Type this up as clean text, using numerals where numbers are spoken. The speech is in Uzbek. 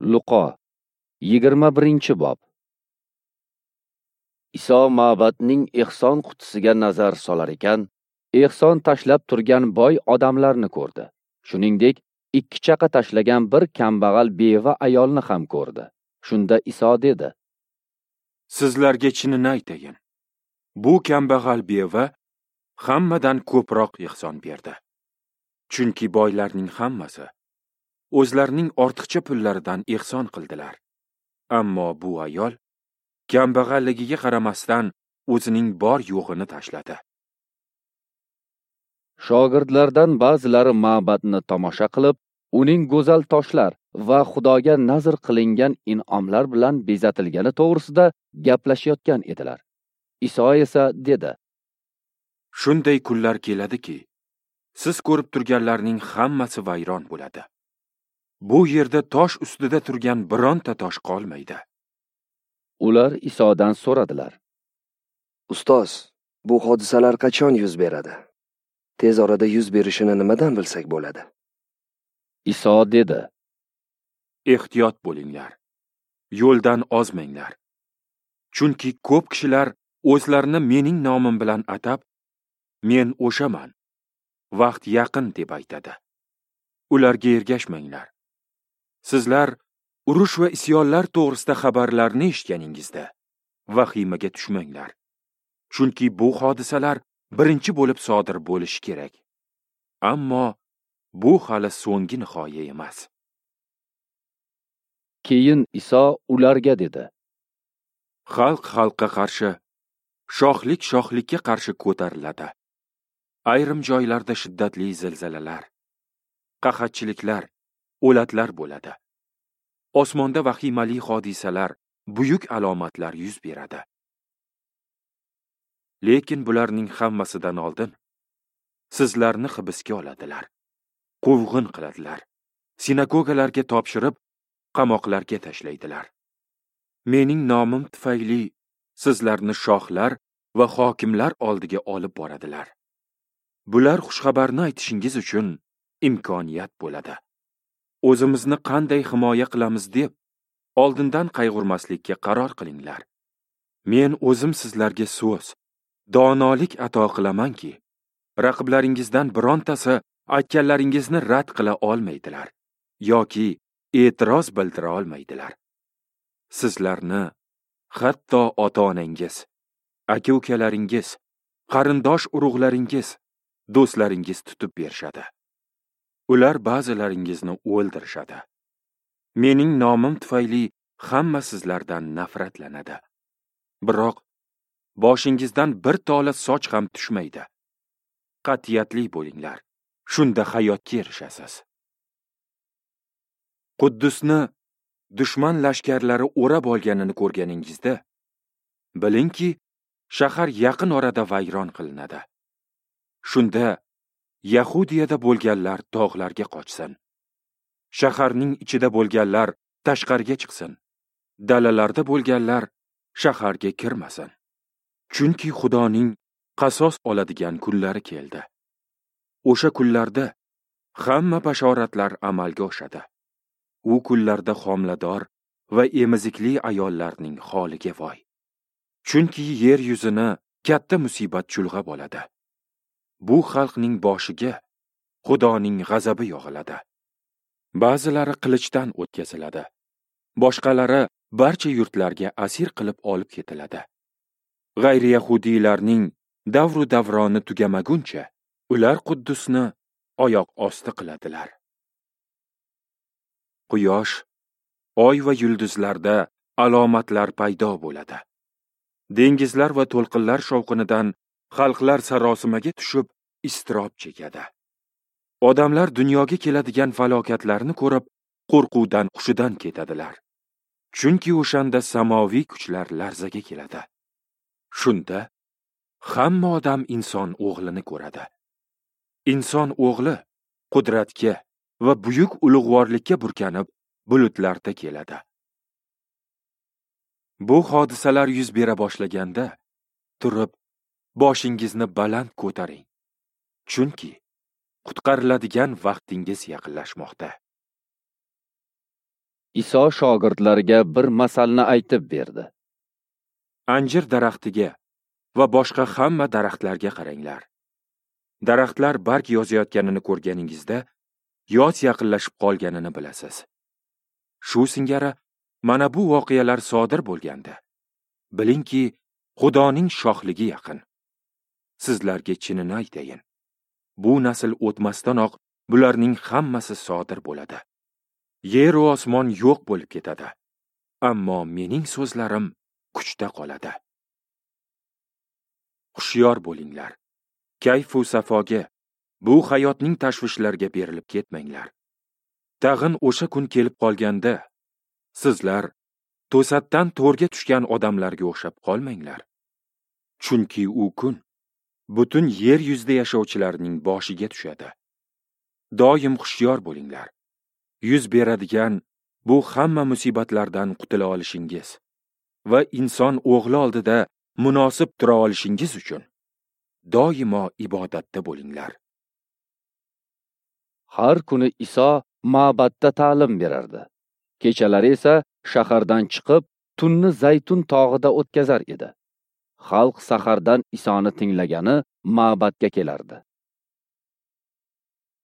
Luqo 21-bob. Iso ma'badning ehson qutisiga nazar solar ekan, ehson tashlab turgan boy odamlarni ko'rdi. Shuningdek, 2 chaqa tashlagan bir kambag'al beva ayolni ham ko'rdi. Shunda Iso dedi: Sizlarga chinini aytayin. Bu kambag'al beva hammadan ko'proq ehson berdi. Chunki boylarning hammasi o'zlarining ortiqcha pullaridan ehson qildilar. Ammo bu ayol kambag'alligiga qaramasdan o'zining bor yo'g'ini tashladi. Shogirdlardan ba'zilari ma'badni tomosha qilib, uning go'zal toshlar va Xudoga nazr qilingan in'omlar bilan bezatilgani to'g'risida gaplashayotgan edilar. Iso esa dedi: Shunday kunlar keladiki, siz ko'rib turganlarning hammasi vayron bo'ladi. Bu yerda tosh ustida turgan bironta tosh qolmaydi. Ular Isodan so'radilar: Ustoz, bu hodisalar qachon yuz beradi? Tez orada yuz berishini nimadan bilsak bo'ladi? Iso dedi: Ehtiyot bo'linglar. Yo'ldan ozmanglar. Chunki ko'p kishilar o'zlarini mening nomim bilan atab, men o'shaman, vaqt yaqin deb aytadi. Ularga ergashmanglar. Sizlar urush va isyonlar to'g'risida xabarlarni eshitganingizda vahimaga tushmanglar. Chunki bu hodisalar birinchi bo'lib sodir bo'lishi kerak. Ammo bu hali so'nggi nihoya emas. Keyin Iso ularga dedi: Xalq xalqqa qarshi, shohlik shohlikka qarshi ko'tariladi. Ayrim joylarda shiddatli zilzilalar, qahatchiliklar, o'latlar bo'ladi. Osmonda vahimali hodisalar, buyuk alomatlar yuz beradi. Lekin bularning hammasidan oldin sizlarni hibsga oladilar, quvg'in qiladilar, sinagogalarga topshirib, qamoqlarga tashlaydilar. Mening nomim tufayli sizlarni shohlar va hokimlar oldiga olib boradilar. Bular xushxabarni aytishingiz uchun imkoniyat bo'ladi. O'zimizni qanday himoya qilamiz deb oldindan qayg'urmaslikka qaror qilinglar. Men o'zim sizlarga so'z, donolik ato qilamanki, raqiblaringizdan birontasi aytganlaringizni rad qila olmaydilar yoki e'tiroz bildira olmaydilar. Sizlarni hatto ota-onangiz, aka-ukalaringiz, qarindosh urug'laringiz, do'stlaringiz tutib berishadi. Ular ba'zilaringizni o'ldirishadi. Mening nomim tufayli hamma sizlardan nafratlanadi. Biroq boshingizdan bir tola soch ham tushmaydi. Qat'iyatli bo'linglar. Shunda hayotga erishasiz. Quddusni dushman lashkarlari o'rab olganini ko'rganingizda, bilingki, shahar yaqin orada vayron qilinadi. Shunda Yahudiyada bo'lganlar tog'larga qochsin. Shaharning ichida bo'lganlar tashqariga chiqsin. Dalalarda bo'lganlar shaharga kirmasin. Chunki Xudoning qasos oladigan kunlari keldi. O'sha kunlarda hamma bashoratlar amalga oshadi. U kunlarda homilador va emizikli ayollarning holiga voy. Chunki yer yuzini katta musibat chulg'ab oladi. Bu xalqning boshiga Xudoning g'azabi yog'iladi. Ba'zilari qilichdan o'tkaziladi. Boshqalari barcha yurtlarga asir qilib olib ketiladi. G'ayri yahudiylarning davru davroni tugamaguncha ular Quddusni oyoq osti qiladilar. Quyosh, oy va yulduzlarda alomatlar paydo bo'ladi. Dengizlar va to'lqinlar shovqinidan xalqlar sarosimaga tushib, iztirob chekadi. Odamlar dunyoga keladigan falokatlarni ko'rib, qo'rquvdan hushidan ketadilar. Chunki o'shanda samoviy kuchlar larzaga keladi. Shunda hamma odam inson o'g'lini ko'radi. Inson o'g'li qudratga va buyuk ulug'vorlikka burkanib, bulutlarda keladi. Bu hodisalar yuz bera boshlaganda, turib boshingizni baland ko'taring. Chunki qutqariladigan vaqtingiz yaqinlashmoqda. Iso shogirdlariga bir masalni aytib berdi. Anjir daraxtiga va boshqa hamma daraxtlarga qaranglar. Daraxtlar barg yozayotganini ko'rganingizda, yoz yaqinlashib qolganini bilasiz. Shu singari mana bu voqealar sodir bo'lganda, bilingki, Xudoning shohligi yaqin. Sizlarga chinini aytayin, bu nasl o'tmasdanoq bularning hammasi sodir bo'ladi. Yer va osmon yo'q bo'lib ketadi, ammo mening so'zlarim kuchda qoladi. Hushyor bo'linglar. Kayf-u safoga, bu hayotning tashvishlariga berilib ketmanglar. Tag'in o'sha kun kelib qolganda, sizlar to'satdan to'rga tushgan odamlarga o'xshab qolmanglar. Chunki u kun butun yer yuzida yashovchilarning boshiga tushadi. Doim hushyor bo'linglar. Yuz beradigan bu hamma musibatlardan qutula olishingiz va inson o'g'li oldida munosib tura olishingiz uchun doimo ibodatda bo'linglar. Har kuni Iso ma'batda ta'lim berardi. Kechalari esa shahardan chiqib, tunni Zaytun tog'ida o'tkazar edi. Xalq sahardan Isoni tinglagani ma'batga kelardi.